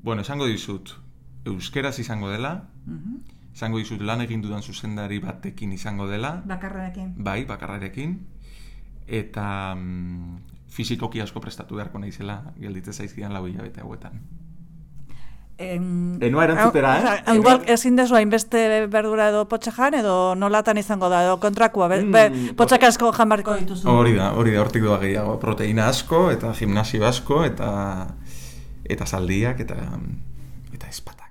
Bueno, esango dizut, euskeraz izango dela, esango dizut lan egin dudan zuzendari batekin izango dela. Bakarrarekin. Bai, bakarrarekin. Eta fizikoki asko prestatu beharko naizela, gelditze zaizkidan 4 hilabete hauetan. Enoa erantzutera, Igual, ezin dezu hainbeste berdura edo potxajan, edo nolatan izango da, edo kontrakua, potxak asko janbarko dituzu. Hori da, hortik doa gehiago. Proteina asko, eta gimnasio asko, eta zaldiak, eta espata.